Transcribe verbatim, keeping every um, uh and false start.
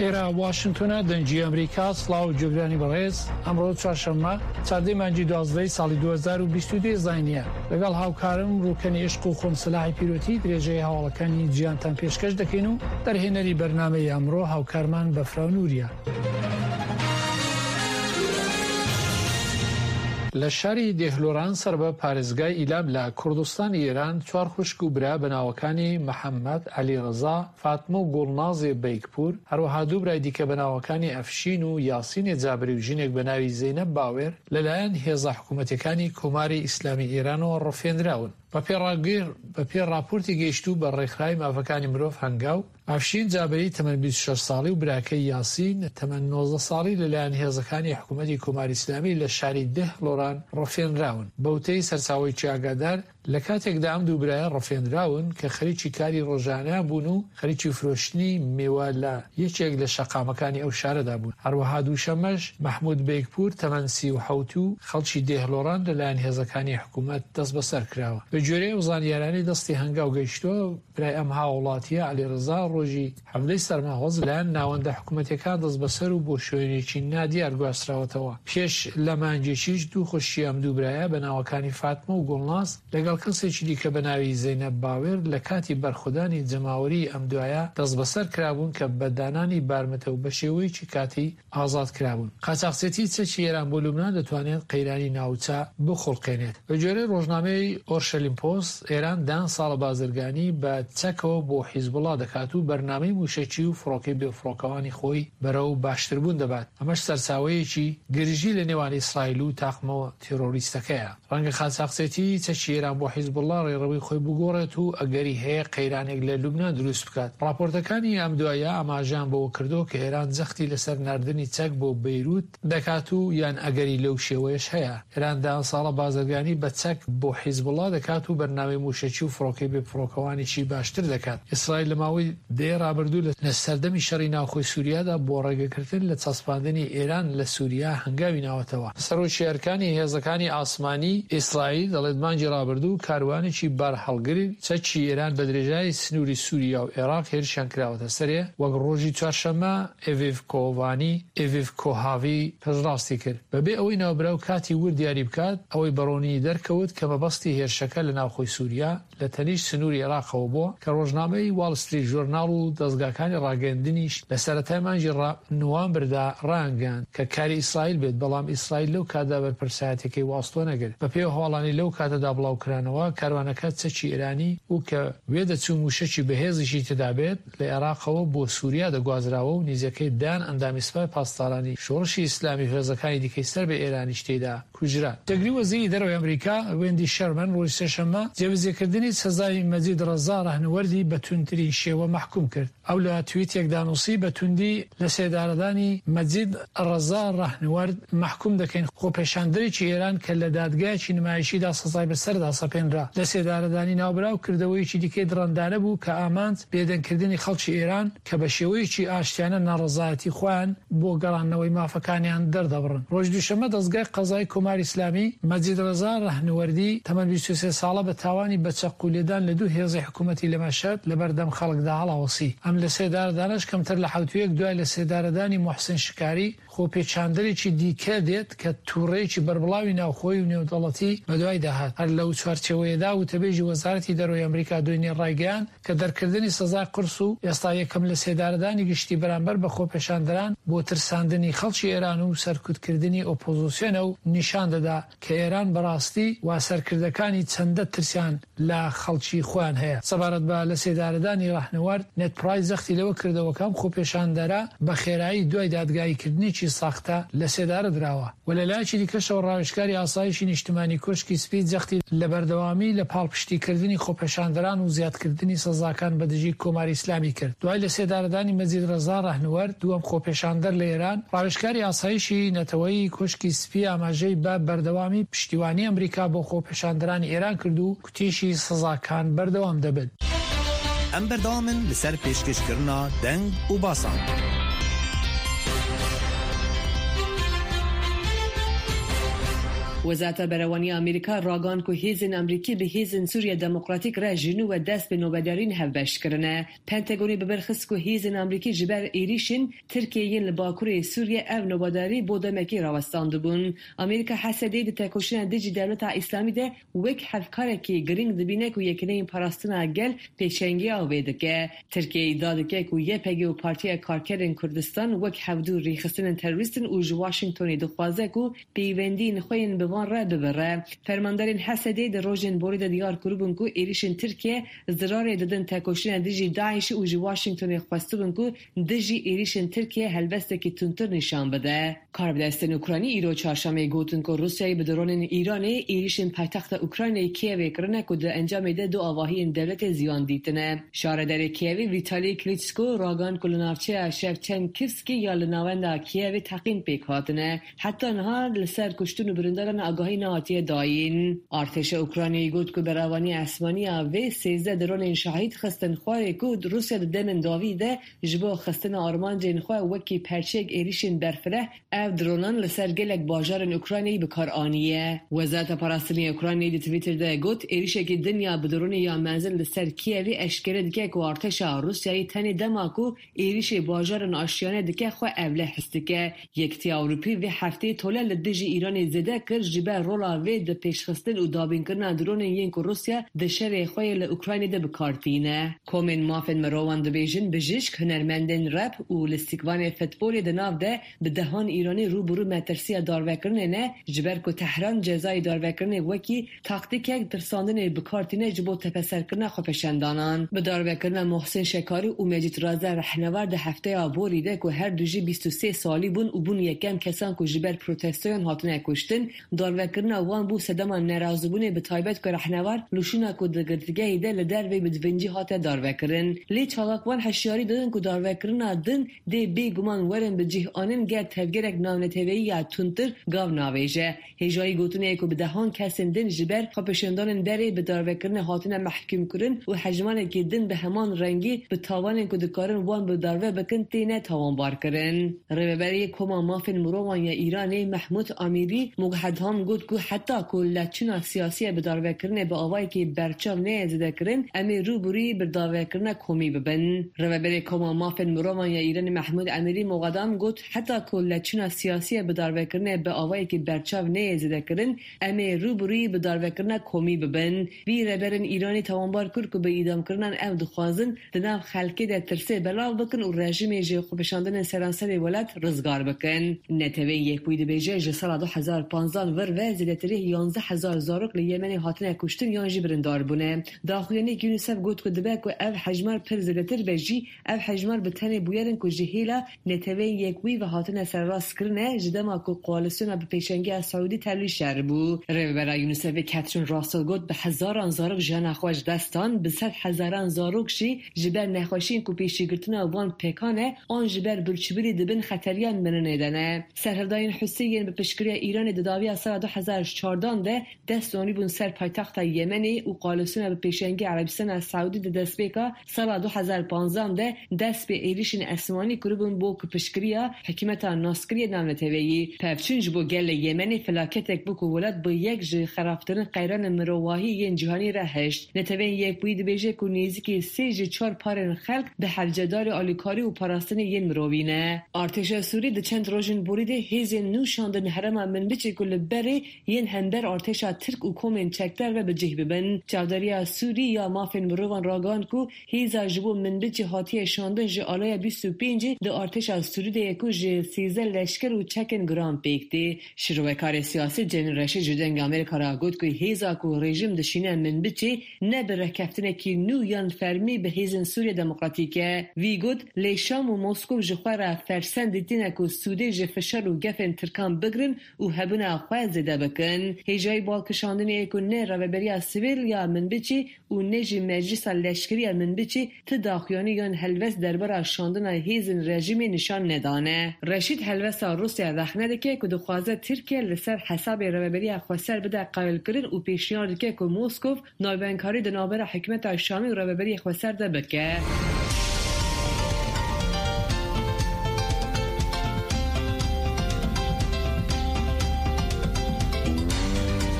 ئێرە واشنتۆنە، دەنگی ئەمریکا. سڵاو گوێگرانی بەڕێز، ئەمڕۆ چوارشەممە چاردەی مانگی دوازدەی ساڵی دوو هەزار و بیست و دوو زاینیە. لەگەڵ هاوکارم ڕوکەنی عشق و خۆم سەلاحی پیرۆتی درێژەی هەواڵەکانی جیهانتان پێشکەش دەکەین و دەرهێنەری بەرنامەی ئەمڕۆ هاوکارمان بەفراو نوریە. لە شاری دێهلۆران سەر بە پارێزگای ئیلام لە کوردستانی ئێران چوار خوشک و برا بە ناوەکانی محەممەد، عەلی ڕەزا، فاتمە و گوڵنازێ بەیگپور، هەروەها دوو برای دیکە بە ناوەکانی ئەفشین و یاسینێ جابری و ژنێک بە ناوی زەینەب باوێر لەلایەن هێزە حکوومەتەکانی کۆماری ئیسلامی ئێرانەوە ڕفێنراون. بە پێی ڕاپۆرتی گەیشتوو بە ڕێکخراوی مافەکانی مرۆڤ هەنگاو، ئەفشین جابری تەمەن بیست و شەش ساڵی و براکەی یاسین تەمەن نۆزدە ساڵی لەلایەن هێزەکانی حکوومەتی کۆماری ئیسلامی لە شاری دێهلۆران ڕفێنراون. بەوتەی سەرچاوەیەکی ئاگادار، لە کاتێکدا ئەم دوو برایە ڕفێنراون کە خەریکی کاری ڕۆژانەیان بوون و خەریکی فرۆشتنی میوە لە یەکێک لە شەقامەکانی ئەو شارەدا بوون. هەروەها دووشەمەش مەحمود بەیگپور تەمەن سی و حەوت و خەڵکی دێهلۆران لەلایەن هێزەکانی حکوومەت دەست بەسەر کراوە. بە گوێرەی ئەو زانیارانەی دەستی هەنگاو گەیشتووە، برای ئەم هاوڵاتیە عەلی ڕەزا ڕۆژی حەڤدەی سەرماوەز لەلایەن ناوەندە حکوومەتەکان دەست بەسەر و بۆ شوێنێکی نادیار گواستراوەتەوە. پێش لە مانگێکیش دوو خوشکی ئەم دوو برایە بە ناوەکانی فاتمە و گوڵناز لەگەڵ کەسێکی دیکە بە ناوی زەینەب باوێر لە کاتی بەرخودانی جەماوەری ئەم دوایە دەست بەسەر کرابوون کە بە دانانی بارمتە و بە شێوەیەکی کاتی ئازاد کرابوون. قاچاخچێتی چەکی ئێران بۆ لوبنان دەتوانێت قەیرانی ناوچە بخوڵقێنێت. بە گوێرەی ڕۆژنامەی ئۆرشەلیم پۆست، ئێران دەیان ساڵە بازرگانی بە چەکەوە بۆ حیزبوڵا دەکات و بەرنامەی موشەکی و فڕۆکەی بێفڕۆکەوانی خۆی بەرەو باشتربوون دەبات. ئەمەش سەرچاوەیەکی گرژی لە نێوان ئیسرائیل و تاقمە تیرۆریستەکەیە. ڕەنگە قاچاخچێتی چەکی ئێران بۆ حیزبوڵا ڕێڕەوی خۆی بگۆڕێت و ئەگەری هەیە قەیرانێک لە لوبنان دروست بکات. ڕاپۆرتەکانی ئەم دوایە ئاماژەیان بەوە کردووە کە ئێران جەختی لەسەر ناردنی چەک بۆ بەیروت دەکات و یان ئەگەری لەو شێوەیەش هەیە. ئێران دەیان ساڵە بازرگانی بە چەک بۆ حیزبوڵا دەکات و بەرنامەی موشەکی و فڕۆکەی بێفڕۆکەوانیشی باشتر دەکات. ئیسرائیل لە ماوەی دەیە ڕابردوو لە سەردەمی شەڕی ناوخۆی سووریادا بۆ ڕێگەکردن لە چەسپاندنی ئێران لە سووریا هەنگاوی ناوەتەوە. سەرۆکی ئەرکانی هێزەکانی ئاسمانی ئیسرائیل دەڵێت مانگی ڕابردوو کاروانێکی بارهەڵگری چەکی ئێران بە درێژایی سنووری سووریا و عێراق هێرشیان کراوەتە سەرێ، وەک ڕۆژی چوارشەممە ئێڤیڤ کۆڤانی ئێڤیڤ کۆهاوی پشتڕاستی کرد. بەبێ ئەوەی ناوبراو کاتی ورد دیاری بکات، ئەوەی بەڕوونی دەرکەوت کە مەبەستی هێرشەکە لە ناوخۆی سووریا لە تەنیشت سنووری عێراقەوە بووە کە ڕۆژنامەی واڵ ستریت ژۆرناڵ و دەزگاکانی ڕاگەیاندنیش لە سەرەتای مانگی نوامبردا ڕایانگەیاند کە کاری ئیسرائیل بێت، بەڵام ئیسرائیل لەو کاتدا بەرپرسایەتەکەی واستۆ نەگرت. بەپێی هەواڵانی لەو کاتەدا بڵاوکرانەوە، کاروانەکە چەکی ئێرانی و کە وێدەچوو موشەکی بەهێزیشی تێدا بێت لە عێراقەوە بۆ سووریا دەگوازراوە و نزیکەی دەیان ئەندامی سپای پاسدارانی شۆڕشی ئیسلامی و هێزەکانی دیکەی سەر بە ئێرانیش تێدا کوژران. جێگری وەزیری دەرەوەی ئەمریکا وێندی شەرمن ڕۆژی سێشەممە جێبەجێکردنی سزای مەجید ڕەزا ڕەهنوەردی بە توندترین شێوە مەحکوم کرد. ئەو لە تویتێکدا نووسی بە توندی لە سێدارەدانی مەجید ڕەزا ڕەهنوەرد مەحکوم دەکەین، خۆپێشاندەرێکی ئێران کە لە دادگایەکی نمایشیدا سزای بەسەردا سەپێنرا. لە سێدارەدانی ناوبراو کردەوەیەکی دیکەی دڕندانە بوو کە ئامانج بێدەنگکردنی خەڵکی ئێران کە بە شێوەیەکی ئاشتیانە ناڕەزایەتی خۆیان بۆ گەڕاندنەوەی مافەکانیان دەردەبڕن. ڕۆژ دووشەممە دەستگای قەزای کۆماری ئیسلامی مەجید ڕەزا ڕەهنوەردی تەمەن بیست و سێ ساڵە بە تاوانی بە چەقو لێدان لە دوو هێزی حکوومەتی لە مەشهەد لە بەردەم خەڵکدا هەڵاوەسی. ئەم لە سێدارەدانەش کەمتر لە حەوتوویەک دوای لە سێدارەدانی محسن شکاری خۆپێچاندەرێکی دیکە دێت کە تووڕەیەکی بەربڵاوی ناوخۆی و نێودەوڵەتی بەدوای داهات. هەر لەو چوارچێوەیەدا وتەبێژی وەزارەتی دەرەوەی ئەمریکا دوێنێ ڕایگەیاند کە دەرکردنی سزای قورس و ئێستا یەکەم لە سێدارەدانی گشتی بەرامبەر بە خۆپێشاندەران بۆ ترساندنی خەڵکی ئێران و سەرکوتکردنی ئۆپۆزیسیۆنە و نیشان دەدا کە ئێران بەڕاستی وا سەرکردەکانی چەندە ترسیان لە خەڵکی خۆیان هەیە. سەبارەت بە لە سێدارەدانی ڕەهنوەرد، نێد پرایس جەختی لەوە کردەوە کە ئەم خۆپێشاندەرە بە خێرایی دوای دادگاییکردنێکی ساختە لە سێدارە دراوە. و لە لایەکی دیکەشەوە ڕاوێژکاری ئاسایشی نیشتمانی کۆشکی سپی جەختی لە بەردەوامی لە پاڵپشتیکردنی خۆپێشاندەران و زیادکردنی سزاکان بە دژی کۆماری ئیسلامی کرد. دوای لە سێدارەدانی مەجید ڕەزا ڕەهنوەرد، دووەم خۆپێشاندەر لە ئێران، ڕاوێژکاری ئاسایشی نەتەوەیی کۆشکی سپی ئاماژەی بە بەردەوامی پشتیوانی ئەمریکا بۆ خۆپێشاندەرانی ئێران کرد و کوتیشی سزاکان بەردەوام دەبن. ئەم بەردەوامن لەسەر پێشکەشکردنا دەنگ و باسان. وزارت بەرەوانی ئەمریکا راگان کو هێزن ئەمریکی به هێزن سوریە دموکراتیک را جنو و دست به نوبدارین هفبش کرنه. پنتاگونی ببرخست کو هێزن ئەمریکی جبر ئێریشن ترکیه لباکوری سوریه ئەو نوبداری بۆ دەمەکی راوەستاندبوون. ئەمریکا حەسەدەی د تێکۆشینە دژی دەولەتا ئیسلامی ده وەک هەڤکارێکی گرنگ دبینە کو یەکینەی پاراستنا گەل پێشەنگی ئاوێ دکە. ترکیه ئیدعا دکە کو یەپەگێ و پارتیە کارکەرên کوردستان وەک هەڤدû rêxistinên terorîstin û ji Washingtonê dixwaze ku pêwendiyên xwe yên bi wan re bibire. Fermandarên Hesedê di rojên borî de diyar kiribûn ku êrişên Tirkiye zirarê didin têkoşîna dijî Daişê û ji Washingtonê xwestibûn ku dijî êrişên Tirkiye helwestekî tundtir nîşan bide. Karbidestên Ukraynî îro çarşemê gotin ku Rûsyayê bi dronên Îranê êrişên paytexta Ukraynayê Kievê kirine ku di encamê de du avahiyên dewletê ziyan dîtine. Şaredarê Kievê Vitali Klitschko ragihand ku li navçeya Shevchenkivskî ya li navenda Kievê teqîn pêk hatine. Heta niha li ser kuştin û birindaran agahî nehatiye dayîn. Artêşa Ukraynayê got ku beravaniya esmanî ya vê sêzdeh dronên şahîd xistin xwarê ku Rûsya di demên dawî de ji bo xistina armancên xwe wekî perçeyek êrişên berfireh ev dronan li ser gelek bajarên Ukraynayê bi kar aniye. Wezareta Parastinê Ukraynayê di Twitter de got êrişekî din ya bi dronê ya menzil li ser Kievê eşkere dike ku artêşa Rûsyayê tenê dema ku êrişê bajarên aşiyane dike xwe evle his dike. Yekîtiya Ewropî vê hefteyê tole li dijî Îranê zêde kir ji ber rola vê di pêşxistin û dabînkirina dronên yên ku Rûsya di şerê xwe yê li Ukraynayê de bi kar tîne. Komên mafên mirovan dibêjin bijîşk, hunermendên rap û lîstikvanê futbolê di nav de bi dehan Îranî rûbirû metirsiya darvekirinê ne ji ber ku Tehran cezayê darvekirinê wekî taktîkek tirsandinê bi kar tîne ji bo tepeserkirina xwepêşandanan. Bi darvekirina Mohsin Şekarî û Mecîd Raza Rehnevar di hefteya borî de ku her du jî bîst û sê salî bûn û bûn yekem kesan ku ji ber protestoyan hatine kuştin, darvekirina wan bû sedema nerazîbûnê bi taybet ku Rehnevar li şûna ku di girtîgehê de li dervê bi divincî hate darvekirin. Lê çalakvan heşyarî didin ku darvekirina din dê bêguman werin bi cih anîn ger tevgerek navneteweyî ya tundtir gav navêje. Hêjayî gotinê ku bi dehan kesên din ji ber xwepêşandanên berê bi darvekirinê hatine mehkûmkirin û hejmareke din bi heman rengî bi tawanên ku dikarin wan bi darve bikin têne tawanbarkirin. Rêveberiyê Koma Mafên Mirovan ya Îranê Mehmûd Amîrî Mughedham got ku heta ku lêçûna siyasî bi darvekirinê bi awayekî berçav neyê zêdekirin em ê rûbirûyî bi darvekirina komî bibin. Rêveberê Koma Mafên Mirovan ya Îranê Mehmûd Amîrî Mughedham got heta ku lêçûna siyasî bi darvekirinê bi awayekî berçav neyê zêdekirin em ê rûbirûyî bi darvekirina komî bibin. Vî rêberên Îranê tawanbar kir ku bi îdamkirinan ew dixwazin di nav xelkê de tirsê belav bikin û rejîmê ji xwepêşandinên seranserê welat rizgar bikin. Neteweyên Yekbûyî dibêje ji sala du hezar panzdan vir ve zêdetirî yanzdeh hezar zarok li Yemenê hatine kuştin yan jî birindar bûne. Daxuyaniyek UNICEF got ku dibe ku ev hejmar pir zêdetir be jî ev hejmar bi tenê bûyerin ku ji hêla Neteweyên Yekbûyî ve hatine serrastkirine ji dema ku koalisyona bi pêşengiya Saûdî tevlî şer bû. Rêvebera UNICEFê Catherine Russell got bi hezaran zarok jiyana xwe ji dest dan, bi sed hezaran zarok jî ji ber nexweşiyên ku pêşîgirtina wan pêkan e an ji ber birçîbûnê di bin xeteriya mirinê de ne. Serhildayên Husî yên bi piştgiriya Îranê di dawiya sala du hezar çardan de dest danîbûn ser paytexta Yemenê û koalisyona bi pêşengiya Erebistana Saûdî di destpêka sala du hezar panzdan de dest bi êrişên esmanî kiribûn bo ku piştgiriya hikûmeta naskiriye navneteweyî. Pevçûn ji bo gelê Yemenê felaketek bû ku welat bi yek ji xerabtirin qeyranên mirovahî yên cîhanî re hişt. Neteweyên Yekbûyî dibêje ku nêzîkî sê ji çar parên xelk bi hevcedarê alîkarî û parastinê yên mirovî ne. Artêşa Sûrî di çend rojên borî de hêzên nû şandin herêma Minbicê ku li berê yên hember artêşa Tirk û komên çekdar ve bi cih bibin. Çavdariya Sûrî ya mafên mirovan ragihand ku hêza ji bo Minbicê hatiye şandin ji alaya bîst û pêncî di artêşa Sûrî de ye ku ji sêzdeh leşker û çekên giran pêk tê. Şirovekarê siyasî Cemîl Reşîd ji Dengê Amerîka re got ku hêza ku rejîm dişîne Minbicê ne bi rêkeftinekî nû yan fermî bi hêzên Sûriya Demokratîk e. Wî got lê Şam û Moskow ji xwe re fersend dîtine ku sûdê ji fişar û gefên Tirkan bigirin û hebûna xwe zêde bikin. Hêjayî balkişandinê ku ne rêveberiya sivîl ya Minbicê û ne jî meclisa leşkerî ya Minbicê ti daxuyanî yan helwest derbara şandina hêzên rejîmê nîşan nedane. Reşîd helwesta Rûsya rexne dike ku dixwaze Tirkiye li ser hesabê rêveberiya xweser bide qewilkirin û pêşniyar dike ku Moskow navbeynkarî di navbera hikûmeta Şamê û rêveberiya xweser de bike.